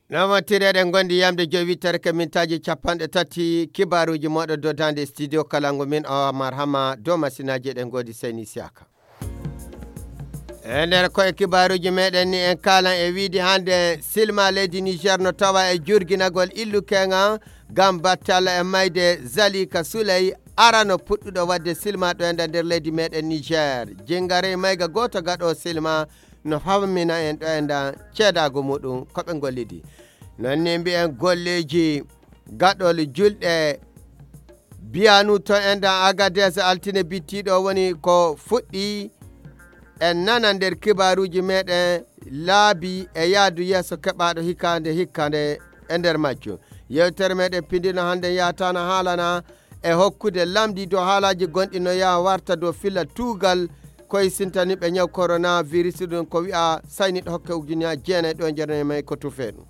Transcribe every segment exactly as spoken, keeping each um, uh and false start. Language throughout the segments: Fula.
Namatiri eɗen gondi yamde jowi tarke mintaaji capanɗe tati kibaaruuji mooɗo dodande studio kalangu min o Amar Hama dow masinaaji eɗen gondi Seyni Siaka. E nder koye kibaaruuji meɗen ni en kaalan e wiide hannde silma leydi Niger no tawa e jurginagol illu keŋa ngam battala e mayde Zalika Souley arano puɗɗuɗo waɗde silma ɗo e nder leydi meɗen Niger. Jingare mayga gooto gaɗo silma no fammina en ɗo e nda ceedaago muɗum ko ɓe gollidi. Non ni mbiyen golleeji gaɗol julɗe biyanu to e nda Agadez altine bittiɗo woni ko fuɗɗi en nana nder kibaaruuji meɗen laabi e yaadu yeeso keɓaaɗo hikande hikande e nder majjum. Yewtere meɗen pindino hannde yaatana haalana e hokkude lamndi dow haalaaji gonɗi no yaha warta dow filla tuugal koye sintaniɓe ñaw coronavirus ɗum ko wi'a sayniɗo hokke ujunnaji jeenayi ɗo e jeenayi may ko tufe ɗum.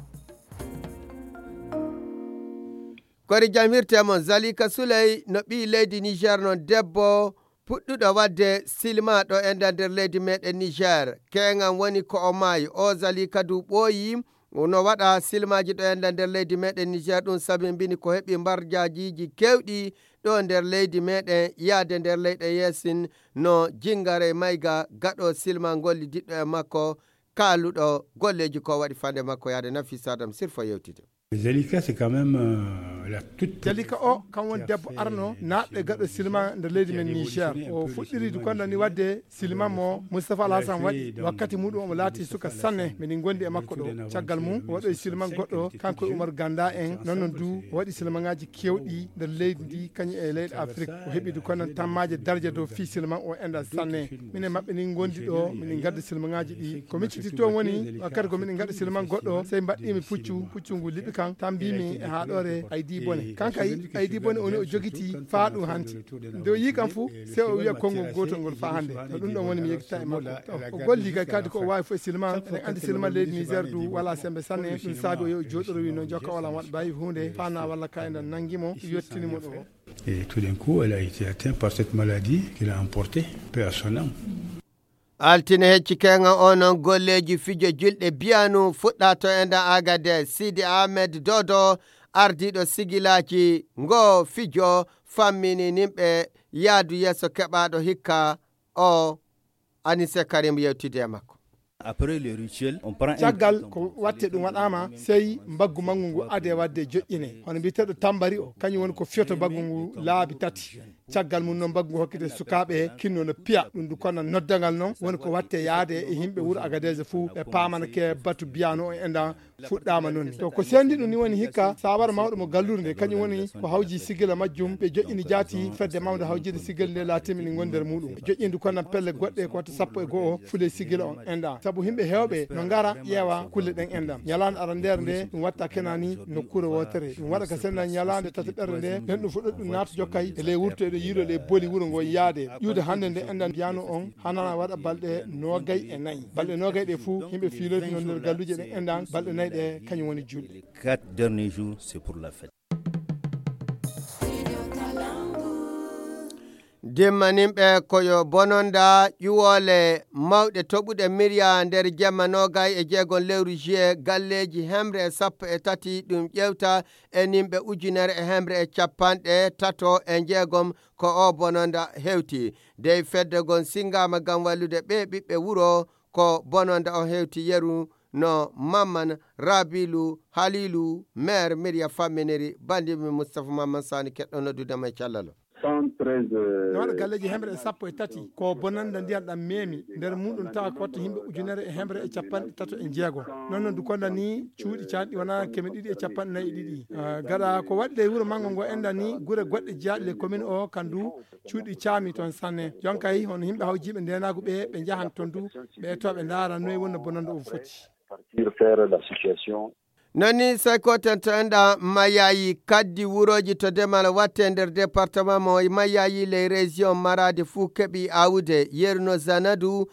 Kori jam hirte mon Zalika Souley no ɓii leydi Niger non debbo puɗɗuɗo waɗde silma ɗo e nder nder leydi meɗen Niger. Keŋan woni ko o maayi o Zalika du ɓooyi no waɗa silmaaji ɗo e nder leydi meɗen Niger ɗum sabi mbini ko heɓi mbarjaajiiji keewɗi ɗo nder leydi meɗen yaade nder leyɗe yeesin no jingare mayga gaɗo silma ngolli diɗɗo e makko kaaluɗo golleeji ko waɗi fande makko yaade Nafisa Adam Sirfo yewtide. Zalika c'est quand même euh, la toute Zalika o kam won debbo arno naatɗo e gaɗo silma nder leydi men Niger o fuɗɗiri du kondo ni wadde silma mo Moustapha Alhassan waɗi wakkati muɗum omo laati suka sanne miɗen gondi e makko ɗo caggal mum o waɗoy silma goɗɗo kanko e Oumar Ganda en non non du o waɗi silmaŋaaji kewɗi nder leydi ndi kañum e leyɗe Afrique o heɓi du kono tammaaje darja dow fii silma o enɗan sanne minen maɓɓe ni gondi ɗo minen gadda silmaŋaaji ɗi ko micciti toon woni wakkati ko miɗen gaɗa silman goɗɗo sey mbaɗɗimi puccu puccu ngu liɓi kan tan mbimi e haɗore aydi bone kankay aydi bone oni o jogiti faa ɗum hanti nde o yii kam fuu sey o wiya konngol gootol ngol faa hannde ko ɗum ɗon woni mi yeggitta e makko o golli kay kadi ko o waawi fof e silman eɗen anndi silman leydi niger du wala sembe sanne ɗum saabi o yo o jooɗorowi noon jokka wala waɗa bayi huunde faa na walla kaydan nanngi mo yettini mo ɗo Et tout d'un coup, elle a été atteinte par cette maladie qui l'a emportée, paix à son âme. Altine hecci keŋa onon golleeji fijo julɗe biyanu fuɗɗa to e nda Agadez Sidi Ahmed Dodo ardiiɗo sigilaaji ngo fijo fammini nimɓe yaadu yeeso keɓaaɗo hikka o Anise Karim yewtide e makko. Après le rituel, on prend un caggal ko watte ɗum waɗama sey mbaggu manngu ngu ade wadde joƴƴine hono mbiyeteɗo tambari o kañum woni ko fiyoto mbaggu ngu laabi tati caggal mum noon mbaggu ngu hokkite sukaaɓe kinno no piya ɗum du kono noddagal noon woni ko watte yaade e yimɓe wuro agadeje fuu ɓe paamana ke batu biyano o enɗan fuɗɗama noon ni to ko sendi ɗum ni woni hikka sawara mawɗo mo gallude nde kañum woni ko hawji sigila majjum ɓe joƴƴini jaati fedde mawde hawjide sigila nde laatimi ni gondi nder muɗum ɓe joƴƴini du kono pelle goɗɗe ko watta sappo e go'o fule sigila on enɗan sabu yimɓe hewɓe no ngara ƴeewa kulle ɗen enɗan ñalande arandere nde ɗum watta kenani nokkure wotere ɗum waɗa ka senda ñalande tataɓerde nde nden ɗum fuɗɗa ɗum naata jokkay e ley wurto eɗo yiiɗo ley boli wuro ngo yaade ƴuude hannde nde enɗan mbiyano on hanana waɗa balɗe nogay e nayi balɗe nogay ɗe fuu yimɓe fiiloytuno nder galluje ɗen enɗan balɗe nayi ɗe kañum woni julɗe quatre derniers jours c'est pour la fête. Dimmaninɓe ko yo bononda ƴuwoole mawɗe toɓuɗe miriya nder jemma nogay e jeegon lewru juillet galleeji hemre e sappo e tati ɗum ƴewta e nimɓe ujunere e hemre e capanɗe tato e jeegom ko o bononda hewti dey fedde gon singama ngam wallude ɓe ɓiɓɓe wuro ko bononda o hewti yeru no mamman rabilu halilu maire miriya famminiri bandimi moustapha mamman sani keɗɗo noddudema e callalo no waɗa galleeji hemre e sappo e tati ko bonanda ndiyan ɗam memi nder muɗum tawa ko watta yimɓe ujunere e hemre e capanɗe tato e jeego non non dukonda ni cuuɗi canɗi wona keme ɗiɗi e capanɗe nayi e ɗiɗi gaɗa ko waɗi ley wuro manngo ngo enda ni gure goɗɗe jeyaaɗe ley commune o kan du cuuɗi caami toon sanne jonkay hono yimɓe hawjiiɓe ndenagu ɓe ɓe njahan toon du ɓe to ɓe ndaara noy wonno bonanda o foti non ni sey ko tentoɗen ɗa mayayi kaddi wurooji to demal watte nder département mo mayayi ley région maradi fuu keɓi awde yerno zanadu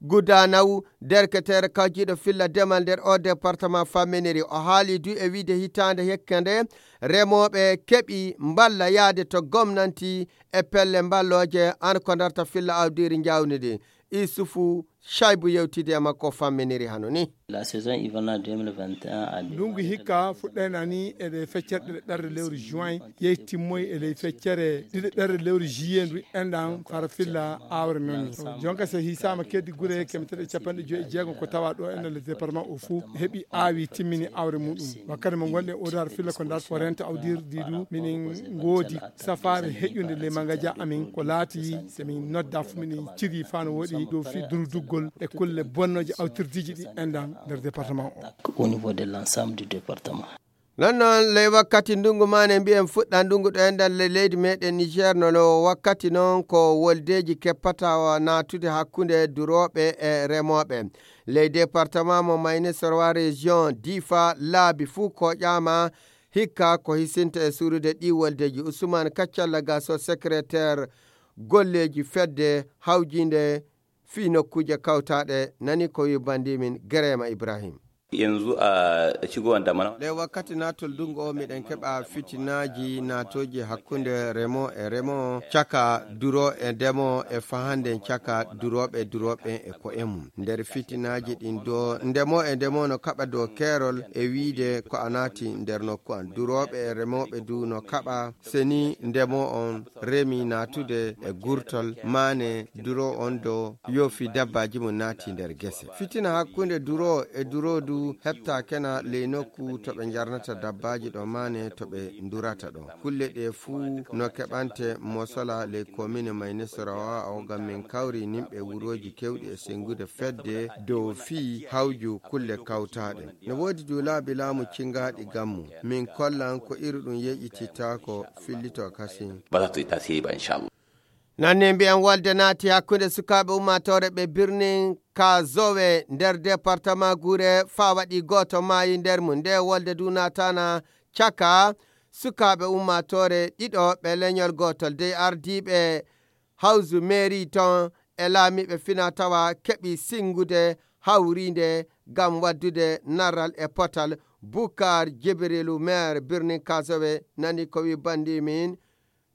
gudanaw derketeere kawjiiɗo filla demal nder o département famminiri o haali du e wiide hitaande hekke nde remooɓe keɓi mballa yahde to gomnanti e pelle mballooje an ko ndarta filla awdiiri njaawni ɗi isufu Shaibu yewtidi e makko famminiri hano ni. La saison hivernale deux mille vingt et un a ndungu hikka fuɗɗayna ni e ɗe feccere ɗiɗaɓere lewru juin, yehi timmoyi e ley feccere ɗiɗaɓere lewru juillet ndu enɗan fara filla awre non ni. Jonka se hisama keddi gure keme tati e capanɗe joyi e jeegom ko tawa ɗo enɗan le département o fuu heɓi awi timmini awre muɗum. Wakkati mo gonɗen o dar filla ko dar ko renta awdirdi du minin ngodi safare heƴude le mangaja amin ko laati se min nodda fu minin ciri fano woɗi dow fi durduggol e kulle bonnoje awtirdiji ɗi enɗan nder département o. Au niveau de l'ensemble du département. Non non ley wakkati ndungu mane mbiyen fuɗɗa ndungu ɗo enɗan le leydi meɗen niger no no wakkati non ko woldeji keppata natude hakkunde durooɓe e remooɓe ley département mo mayni sorwa région difa laabi fuu koƴama hikka ko hisinta e surude ɗi woldeji usman kaccalla gaso secrétaire golleji fedde hawjinde fii nokkuuje kawtaaɗe nani ko wi bandi min gerema ibrahim. Yanzu a cigo wanda mana le wakkati natol dungo o miɗen keɓa fitinaaji natooji hakkunde remo e remo caka duro e ndemo e fahanden caka durooɓe durooɓe e ko'e mum nder fitinaaji ɗin do ndemo e ndemo no kaɓa dow keerol e wiide ko a naati nder nokku an durooɓe e remooɓe du no kaɓa seni ndemo on remi natude e gurtol mane duro on do yoofi dabbaji mum naati nder gese fitina hakkunde duro e duro du hepta kena ley nokku to ɓe jarnata dabbaji ɗo mane to ɓe durata ɗo kulle ɗe fuu no keɓante mosola ley komine maynisoro o gam min kawri nimɓe wuroji kewɗi e sengude fedde dow fii hawju kulle kawtaɗe no woodi du laabi laamu cingaɗi gammu min kollan ko iri ɗum yeƴitittako fillito kasi. Ba za ta yi tasiri ba insha Allah. Nanne mbiyan wolde naati hakkunde sukaaɓe ummaatoore ɓe birnin kazowe nder departama gure faa waɗi gooto maayi nder mum nde wolde du naatana caka sukaaɓe ummaatoore ɗiɗo ɓe leñol gootol dey ardiiɓe hawsu meeri ton e laamiiɓe fina tawa keɓi sinngude hawriinde ngam waɗdude narral e potal bukar jibirilu meer birnin kasowe nani ko wi banndi min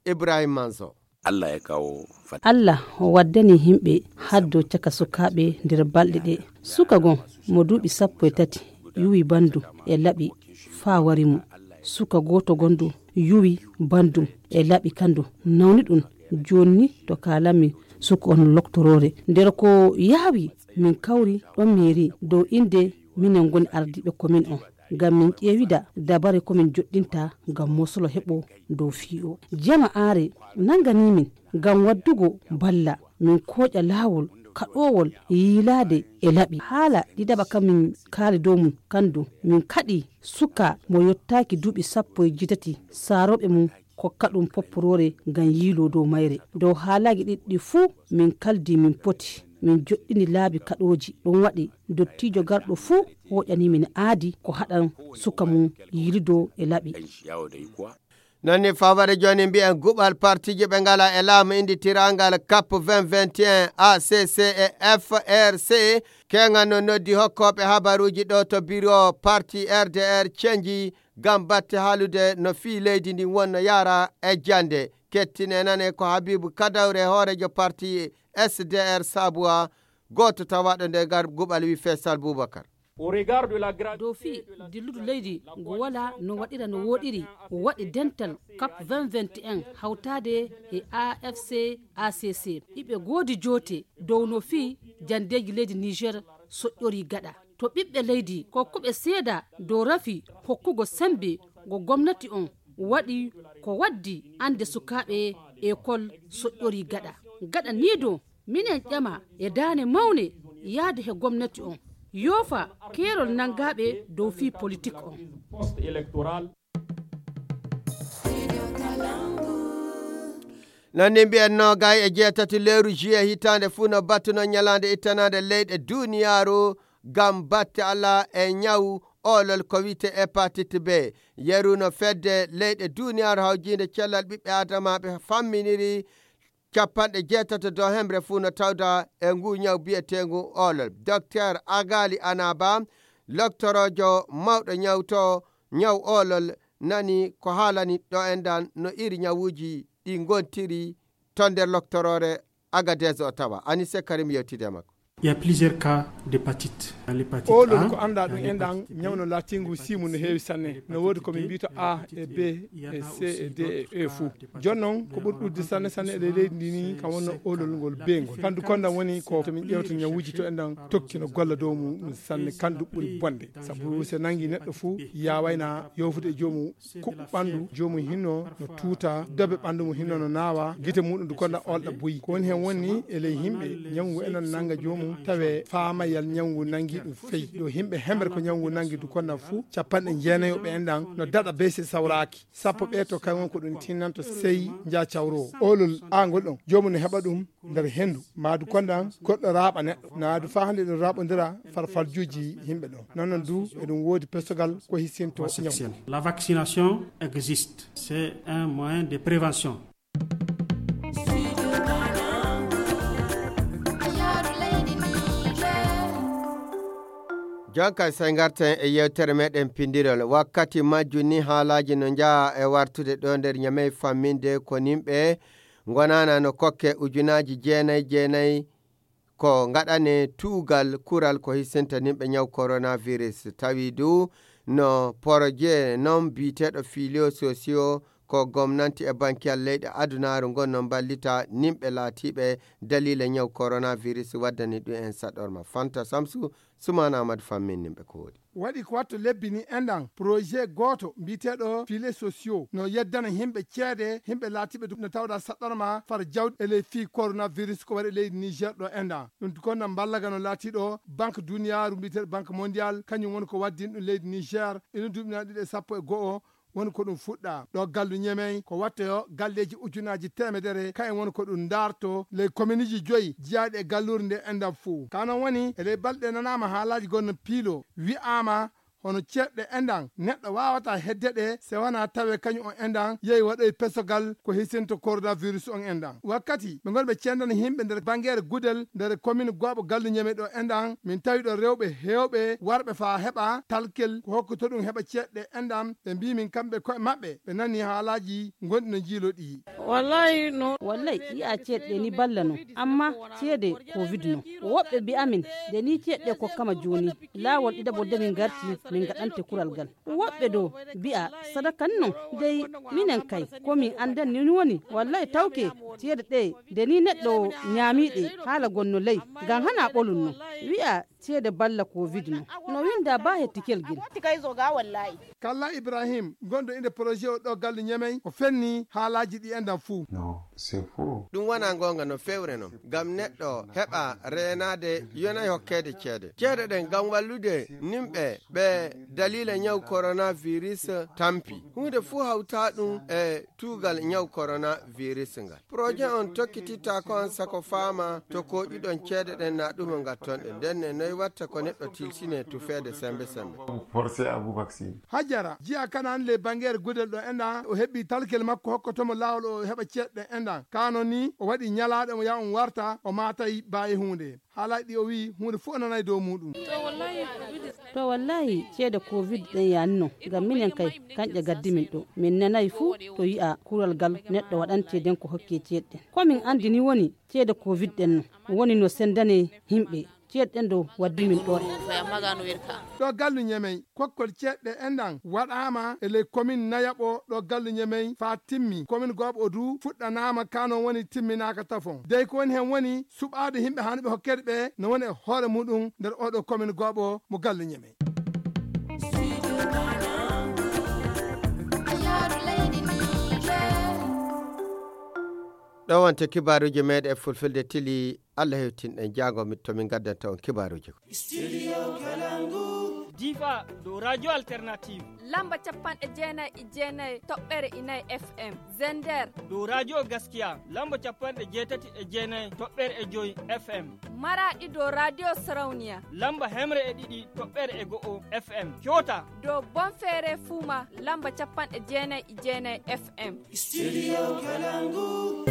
ibrahim manso. Allah ya kawo fat. Allah waddani himɓe haddo caka sukaaɓe nder balɗe ɗe suka gon mo duuɓi sappo e tati yuwi bandu e laɓi faa wari mo suka gooto gondu yuwi bandum e laɓi kandu nawni ɗum jonni to kaalami suka on loktoroore nder ko yaawi min kawri ɗon meeri dow innde minen ngoni ardiiɓe komin on ngam min ƴeewida dabare ko min joɗɗinta ngam mosolo heɓo dow fii o jama aare nangani min ngam waddugo balla min kooƴa laawol kaɗowol yiilaade e laɓi haala ɗiɗaɓa kam min kaali dow mum kandu min kaɗi suka mo yottaaki duuɓi sappo e jeetati saarooɓe mum kokka ɗum popporoore ngam yiiloo dow mayre dow haalaaji ɗiɗɗi fuu min kaldi min poti min joɗɗini laabi kaɗooji ɗum waɗi dottiijo garɗo fuu hoƴani min aadi ko haɗan suka mum yiilidoo e laɓi. Nonni fawade joni mbiyen guɓal partiji ɓe ngala e laamu inditirangal cap vingt vingt et un acc e frc keŋan no noddi hokkoɓe habaruji ɗo to biro parti rdr cenji ngam batte haalude no fii leydi ndin wonno yaara e jannde kettine nane ko habibu kadawre hoorejo parti sdr sabuwa gooto tawaɗo nde ngar guɓal wi faisal boubacar. Dow fii dilludu leydi ngu walaa no waɗira no wooɗiri waɗi dental cap vingt vingt et un hawtaade e afc acc iɓe goodi joote dow no fii janndeeji leydi niger soƴƴorii gaɗa to ɓiɓɓe leydi kokkuɓe seeda dow rafi hokkugo semmbe ngo gomnati on waɗi ko waddi annde sukaaɓe ekol soƴƴorii gaɗa gaɗa nii dow minen ƴama e daane mawne yahde he gomnati on yoofa keerol nanngaaɓe dow fii politik on. Nanni mbiyen noogay e jeetati lewru juillet hitaande fuu no battuno ñalaande ittanaande leyɗe duuniyaaru ngam batte alaa e ñaw oolol ko wiyte hépatite B. Yeru no fedde leyɗe duuniyaaru hawjiinde cellal ɓiɓɓe aadamaaɓe famminiri capanɗe jeetato dow hemre fuu no tawda e nguu ñaw biyeteengu oolol. Dokteer Agaali Anaaba, loktoroojo mawɗo ñawto ñaw oolol, nani ko haalani ɗo en ɗan no iri ñawuuji ɗi ngontiri to nder loktoroore Agadees o tawa. Anise Karim yewtidi e makko. Il y a plusieurs cas d'hépatite. Dans l'hépatite Oolol A, ko anndaa ɗum en ɗan, ñaw no laatingu siimu no heewi sanne. No woodi ko min mbiyata A e B e C e D e E fuu. Jooni noon, ko ɓuri ɗuuɗude sanne sanne e leydi ndi ni, kam wonno oolol ngol B ngol. Kandu konda woni ko to min ƴeewta ñawuuji to en ɗan tokki no golla dow mum sanne, kandu ɓuri bonde. Sabu so nangi neɗɗo fuu, yaawayna yoofude e joomum, kuɓɓu ɓanndu joomum hinno no tuuta, dobe ɓanndu mum hinno no naawa, gite muɗum du konda olɗa buyi. Ko woni heen woni e ley yimɓe, ñawngu enen nannga joomum, tawe faamayal ñawngu nanngi ɗum feyi. Ɗo yimɓe hemre ko ñawngu nanngi du konda fuu, capanɗe jeenayo ɓe en ɗan no daɗa bese sawraaki. Sappo ɓe to kay won ko ɗum tinnanto sey nja cawro. Oolol aangol ɗon, joomum no heɓa ɗum nder henndu. Maadu konda goɗɗo raaɓa neɗɗo. Naadu faa hannde ɗum raaɓondira farfarjuuji yimɓe ɗon. Non non du, eɗum woodi pesogal ko hisinto ñaw. La vaccination existe. C'est un moyen de prévention. Jonka sey ngarten e yewtere meɗen pindirol. Wakkati majju ni haalaaji no njaha e wartude ɗo nder Ñamey famminde ko nimɓe ngonana no kokke ujunaaji jeenay jeenay ko ngaɗane tuugal kural ko hisinta nimɓe ñaw coronavirus. Tawi du no poroje non biyeteeɗo filio sosio ko gomnanti e bankiyal leyɗe adunaaru ngon no mballita nimɓe laatiiɓe daliila ñaw coronavirus waddani ɗum en saɗorma. Fanta Samsu, Sumaana Amadu fammin nimɓe ko woodi. Waɗi ko watto lebbi ni enɗan projet gooto mbiyeteeɗo filets sociaux no yeddana yimɓe ceede, yimɓe laatiiɓe no tawda saɗɗorma far jawdi e ley fii coronavirus ko waɗi e leydi Niger ɗo enɗan. Ɗum ko no mballaga no laatiiɗo Banque Duniyaaru mbiyeteeɗo Banque Mondiale, kañum woni ko waddin ɗum leydi Niger, ina duuɓi na ɗiɗi e sappo e go'o, woni ko ɗum fuɗɗa. Ɗo gallu Ñemey ko wattoyo galleeji ujunaaji teemedere, kayen woni ko ɗum ndaarto ley kominiji joyi jiyaaɗi e galluure nde enɗan fuu. Ka non woni e ley balɗe nanaama haalaaji gonno piilo, wi'aama hono ceeɗe enɗan neɗɗo waawata hedde ɗe se wanaa tawe kañum on enɗan yehi waɗoy pesogal ko hisinto coronavirus on enɗan. Wakkati ɓe ngoni ɓe cendana yimɓe nder bangeere Gudel nder komin Gooɓo gallu Ñemey ɗo enɗan, min tawi ɗo rewɓe heewɓe warɓe faa heɓa talkel ko hokkoto ɗum heɓa ceeɗe enɗan. Ɓe mbii min kamɓe ko'e maɓɓe ɓe nanii haalaaji gonɗi no njiiloo ɗi. Wallahi no. Wallahi yi'a ceeɗe ɗe ni balla no, amma ceede covid no. Woɓɓe mbi'a min nde ni ceeɗe ɗe kokkama jooni, laawol ɗiɗaɓol de min ngarti min ngaɗante kural gal. Woɓɓe do mbi'a sadaka ni non. Dey minen kay ko min anndan ni woni wallahi tawke ceede ɗe nde ni neɗɗo ñaamii ɗe haala gonno ley ngam hana ɓolun no. Wi'a ceede balla covid no, no winda ba hettikel gel. Kalla Ibrahim gonɗo inde projet o ɗo gallu Ñemey o fenni haalaaji ɗi enɗan fuu. Non, c'est faux. Ɗum wonaa goonga no fewre non, ngam neɗɗo heɓa reenaade yonay hokkeede ceede. Ceede ɗen ngam wallude nimɓe ɓe daliila ñaw coronavirus tampi. Huunde fuu hawtaa ɗum e tuugal ñaw coronavirus ngal. Projet on tokkititta ko on sako faama to kooƴuɗon ceede ɗen na ɗum o ngattonɗe. Nden ne noy watta ko neɗɗo tilsine tufeede sembe sembe. Forcé à vous vacciner. Hajara, jiya kanan le bangeere Gudel ɗo enɗan, o heɓi talkel makko hokkotomo laawol o heɓa ceeɗe ɗen enɗan. Kano ni, o waɗi ñalaaɗe mo yaa on warta, o maatay baayi huunde. Haalaaji ɗi o wi'i, huunde fuu o nanay dow muuɗum. To wallahi, ceede covid ɗen yaani non, ngam minen kay, kanƴe gaddi min ɗo. Min nanay fuu to yi'a kural gal neɗɗo waɗante den ko hokke ceeɗe ɗen. Ko min anndi ni woni ceede covid ɗen no, woni no sendane yimɓe. Ceeɗe ɗen ɗo waddi min ɗo. Ɗo gallu Ñemey, kokkol ceeɗe ɗe enɗan waɗaama e ley komin nayaɓo ɗo gallu Ñemey faa timmi. Komin Gooɓo o du fuɗɗanaama, kano woni timminaaka tafon. Dey ko woni heen woni suɓaade yimɓe hanuɓe hokkeede ɓe no woni e hoore muɗum nder oɗo komin Gooɓo mo gallu Ñemey. Ɗo wonte kibaaruuji meeɗen e fulfulde tili. Allah hewtin ɗen jaago mi to min gaddanta on kibaaruuji. Difa dow radio alternative. Lamba capanɗe jeenay e jeenay toɓɓere inay F M. Zender dow radio gaskiya lamba capanɗe jeetati e jeenay toɓɓere e joy F M. Maraɗi dow radio sarauniya lamba hemre e ɗiɗi toɓɓere e go'o F M. Coota dow bonfere fuuma lamba capanɗe jeenay e jeenay F M. Studio Kalangu.